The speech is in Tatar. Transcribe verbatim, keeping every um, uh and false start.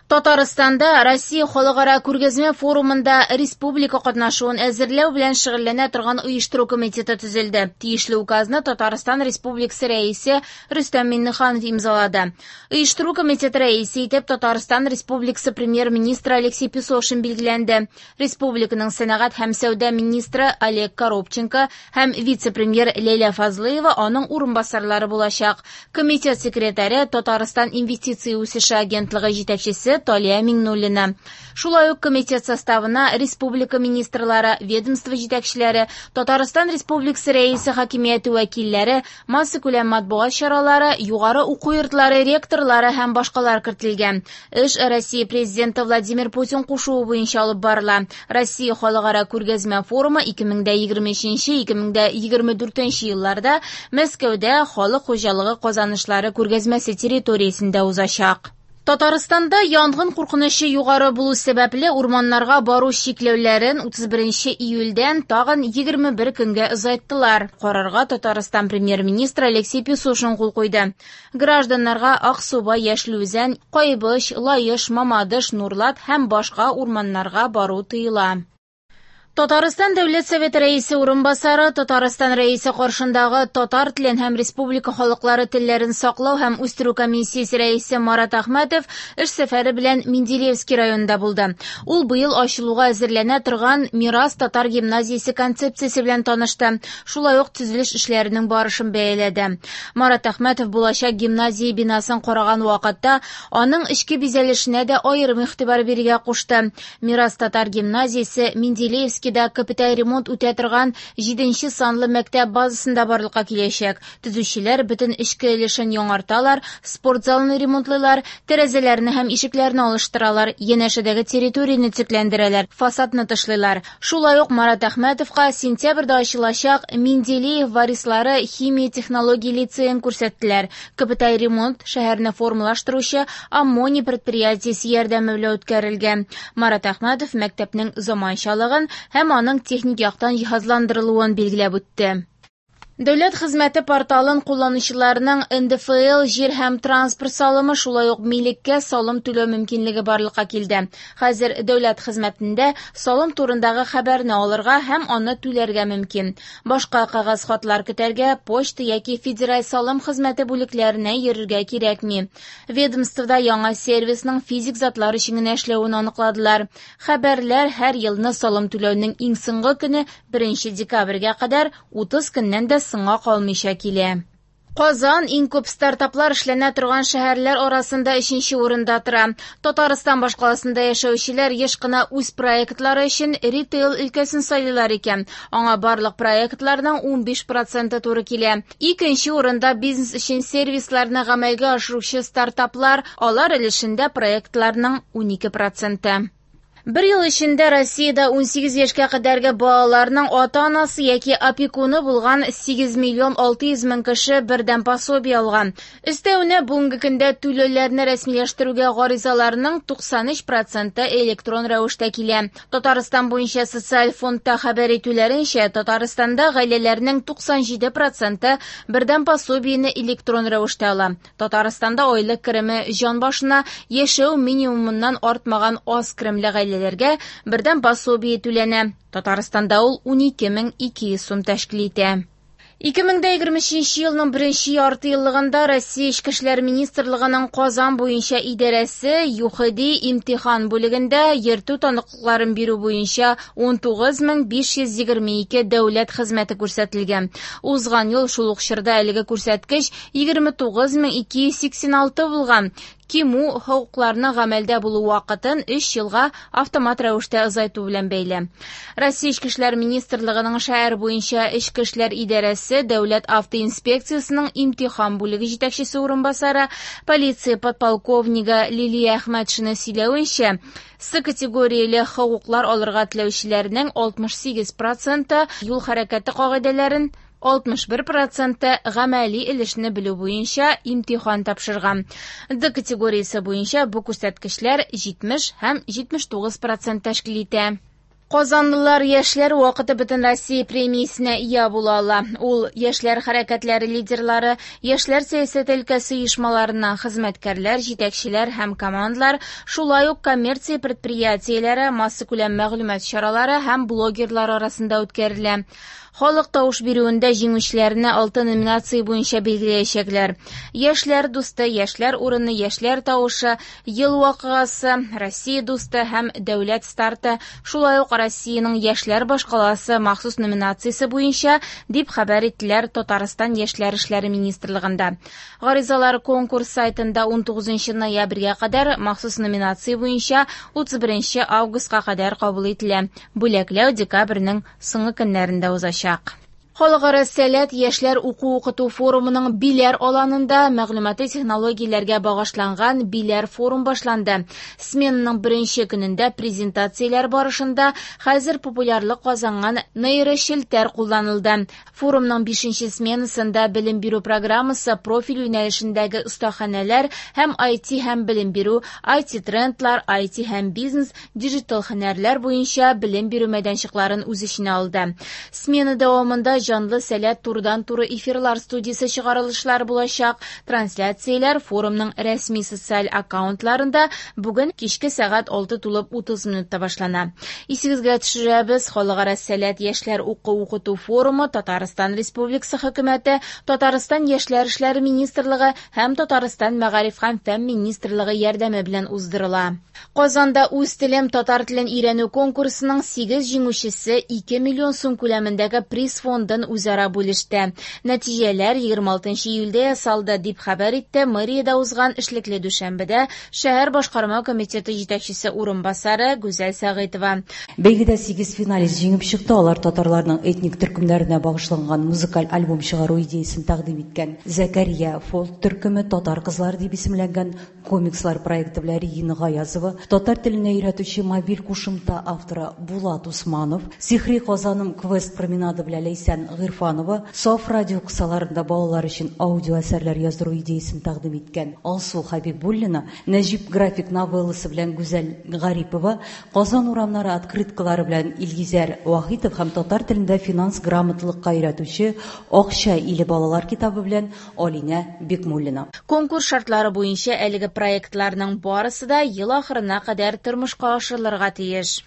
Татарстанда Россия халыкара күргәзмә форумында республика катнашуын әзерләү белән шөгыльләнә торган оештыру комитеты төзелде. Тиешле указны Татарстан Республикасы Рәисе Рөстәм Миңнеханов имзалады. Оештыру комитеты рәисе итеп Татарстан Республикасы премьер-министры Алексей Песошин билгеләнде. Республиканың сәнәгать һәм сәүдә министры Олег Коробченко һәм вице-премьер Ләйлә Фазлыева аның урынбасарлары булачак. Комитет секретаре Татарстан инвестиция үсеше агентлыгы җитәкчесе Талия Миңнуллина. Шулай ук комитет составына республика министрлары, ведомство җитәкчеләре, Татарстан Республикасы Рәисе хакимияте вәкилләре, массакүләм матбугат чаралары, югары уку йортлары ректорлары һәм башкалар кертелгән. Эш Россия президенты Владимир Путин кушуы буенча алып барыла. Россия халыкара күргәзмә форумы ике мең дә егерме өченче, ике мең дә егерме дүртенче елларда Мәскәүдә халык хуҗалыгы казанышлары күргәзмәсе территориясендә узачак. Татарстанда янгын куркынычы югары булу сәбәпле урманнарга бару чикләүләрен утыз беренче июльдән тагын егерме бер көнгә озайттылар. Карарга Татарстан премьер-министры Алексей Песошин кул куйды. Гражданнарга Аксубай, Яшел Үзән, Кайбыч, Лаеш, Мамадыш, Нурлат һәм башка урманнарга бару тыела. Татарстан Дәүләт Советы Рәисе урынбасары, Татарстан Рәисе каршындагы татар телен һәм республика халыклары телләрен саклау һәм үстерү комиссиясе рәисе Марат Әхмәтов эш сәфәре белән Менделеевский районында булды. Ул быел ачылуга әзерләнә торган Мирас татар гимназиясе концепциясе белән танышты. Шулай ук төзелеш эшләренең барышын бәяләде. Марат Әхмәтов булачак гимназия бинасын караган вакытта аның эчке бизәлешенә дә аерым игътибар бирергә кушты. Мирас татар гимназиясе Менделеевский да капиталь ремонт үтә торган җиденче санлы мәктәп базасында барлыкка киләчәк. Төзүчеләр бөтен эчке өлешен яңарталар, спорт залын ремонтлыйлар, тәрәзәләрне һәм ишекләрне алыштыралар, янәшәдәге территорияне төзекләндерәләр, фасадны тышлыйлар. Шулай ук Марат Әхмәтовка сентябрьдә ачылачак Менделеев варислары химия технология лицеен күрсәттеләр. Капиталь ремонт шәһәрне формалаштыручы Аммоний предприятиесе ярдәме белән үткәрелгән. Марат Әхмәтов мәктәпнең заманчалыгын һәм аның техник яктан җиһазландырылуын билгеләп үтте. Дәүләт хезмәте порталын кулланучыларның Н Д Ф Л җир һәм транспорт салымы, шулай ук милеккә салым түләү мөмкинлеге барлыкка килде. Хәзер дәүләт хезмәтендә салым турындагы хәбәрне алырга һәм аны түләргә мөмкин. Башка кәгазь хатлар көтәргә, почта яки федераль салым хезмәте бүлекләренә йөрергә кирәкми. Ведомствода яңа сервисның физик затлар өчен генә эшләвен аныкладылар. Хәбәрләр һәр елны салым түләүнең иң соңгы көне беренче декабрьгә кадәр утыз көннән дә соңга калмыйча килә. Казан иң күп стартаплар эшләнә торган шәһәрләр арасында өченче урында тора. Татарстан башкаласында яшәүчеләр еш кына үз проектлары өчен ритейл өлкәсен сайлыйлар икән. Аңа барлык проектларның унбиш проценты туры килә. Икенче урында бизнес өчен сервисларны гамәлгә ашыручы стартаплар, алар өлешендә проектларның унике проценты. Бер ел эчендә Россиядә унсигез яшькә кадәрге балаларның ата-анасы яки опекуны булган сигез миллион алты йөз мең кеше бердәм пособие алган. Өстәвенә, бүгенге көндә түләүләрне рәсмиләштерүгә гаризаларның туксан өч проценты электрон рәвештә килә. Татарстан буенча социаль фондта хәбәр итүләренчә, Татарстанда гаиләләрнең туксан җиде проценты бердәм пособиене электрон рәвештә ала. Татарстанда айлык кереме җан башына яшәү минимумыннан артмаган аз керемле гаиләләргә бердәм пособие түләнә. Татарстанда ул унике мең ике йөз сум тәшкил итә. Ике мең дә егерме өченче елның беренче ярты еллыгында Россия Эчке эшләр министрлыгының Казан буенча идарәсе ЮХИДИ имтихан бүлегендә йөртү таныклыкларын бирү буенча ун тугыз мең биш йөз егерме ике дәүләт хезмәте күрсәтелгән. Узган ел шул ук чорда әлеге күрсәткеч егерме тугыз мең ике йөз сиксән алты булган. Кимү хокукларының гамәлдә булу вакытын өч елга автомат рәвештә озайту белән бәйле. Россия Эчке эшләр министрлыгының шәһәр буенча Эчке эшләр идарәсе Дәүләт автоинспекциясенең имтихан бүлеге җитәкчесе урынбасары полиция подполковнигы Лилия Әхмәтшина сөйләвенчә, С категорияле хокуклар алырга теләүчеләрнең алтмыш сигез проценты юл хәрәкәте кагыйдәләрен, алтмыш бер проценты гамәли өлешне белү буенча имтихан тапшырган. Д категориясе буенча бу күрсәткечләр җитмеш һәм җитмеш тугыз процент тәшкил итә. Казанлылар яшьләр вакыты Бөтенроссия премиясенә ия була ала. Ул яшьләр хәрәкәтләре лидерлары, яшьләр сәясәте өлкәсе оешмаларыннан хезмәткәрләр, җитәкчеләр һәм командалар, шулай ук коммерция предприятиеләре, массакүләм мәгълүмат чаралары һәм блогерлар арасында үткәрелә. Халык тавыш бирүендә җиңүчеләрне алты номинация буенча билгеләячәкләр. Яшьләр дусты, яшьләр урыны, яшьләр тавышы, ел вакыйгасы, Россия дусты һәм дәүләт старты, шулай ук Россиянең яшьләр башкаласы махсус номинациясе буенча, дип хәбәр иттеләр Татарстан яшьләр эшләре министрлыгында. Гаризалар конкурс сайтында унтугызынчы ноябрьгә кадәр, махсус номинация буенча утыз беренче августка кадәр кабул ителә. Бүләкләү декабрьнең соңгы көннәрендә узачак. Халыкара Сәләт яшьләр уку-укыту форумының Биләр аланында мәгълүмати технологияләргә багышланган Биләр форум башланды. Сменаның беренче көнендә презентацияләр барышында хәзер популярлык казанган нейрочелтәр кулланылды. Форумның бишенче сменасында белем бирү программасы профиль юнәлешендәге остаханәләр һәм ай ти һәм белем бирү, ай ти трендлар, ай ти һәм бизнес, диджитал һөнәрләр буенча белем бирү мәйданчыкларын үз эченә алды. Смена дәвамында җанлы сәләт турыдан-туры эфирлар студиясе чыгарылышлар булачак. Трансляцияләр форумның рәсми социаль аккаунтларында бүген кичке сәгать алты тулып утыз минутта башлана. Исегезгә төшерәбез, Халыкара Сәләт яшьләр уку-укыту форумы Татарстан Республикасы хөкүмәте, Татарстан Яшьләр эшләре министрлыгы һәм Татарстан Мәгариф һәм фән министрлыгы ярдәме белән уздырыла. Казанда үз телем татар телен өйрәнү конкурсының сигез җиңүчесе ике миллион сум күләмендәге приз фондын үзара бүлеште. Нәтиҗәләр егерме алтынчы июльдә ясалды, дип хәбәр итте мэриядә узган эшлекле дүшәмбедә шәһәр башкарма комитеты җитәкчесе урынбасары Гүзәл Сәгыйтова. Бәйгедә сигез финалист җиңеп чыкты. Алар татарларның этник төркемнәренә багышланган музыкаль альбом чыгару идеясын тәкъдим иткән Зәкәрия фолк төркеме, Татар кызлары дип исемләнгән комикслар проекты белән Регина Гаязова, татар теленә өйрәтүче мобиль кушымта авторы Булат Усманов, Сихри Казаным квест променады белән Ләйсән Гыйрфанова, Саф радио кысаларында балалар өчен аудио әсәрләр яздыру идеясын тәкъдим иткән Алсу Хабибуллина, Нәҗип график новелласы белән Гүзәл Гарипова, Казан урамнары открыткалары белән Илгизәр Вахитов һәм татар телендә финанс грамоталыкка өйрәтүче Акча иле балалар китабы белән Алинә Бикмуллина. Конкурс шартлары буенча әлеге проектларның барысы да ел ахырына кадәр тормышка ашырылырга тиеш.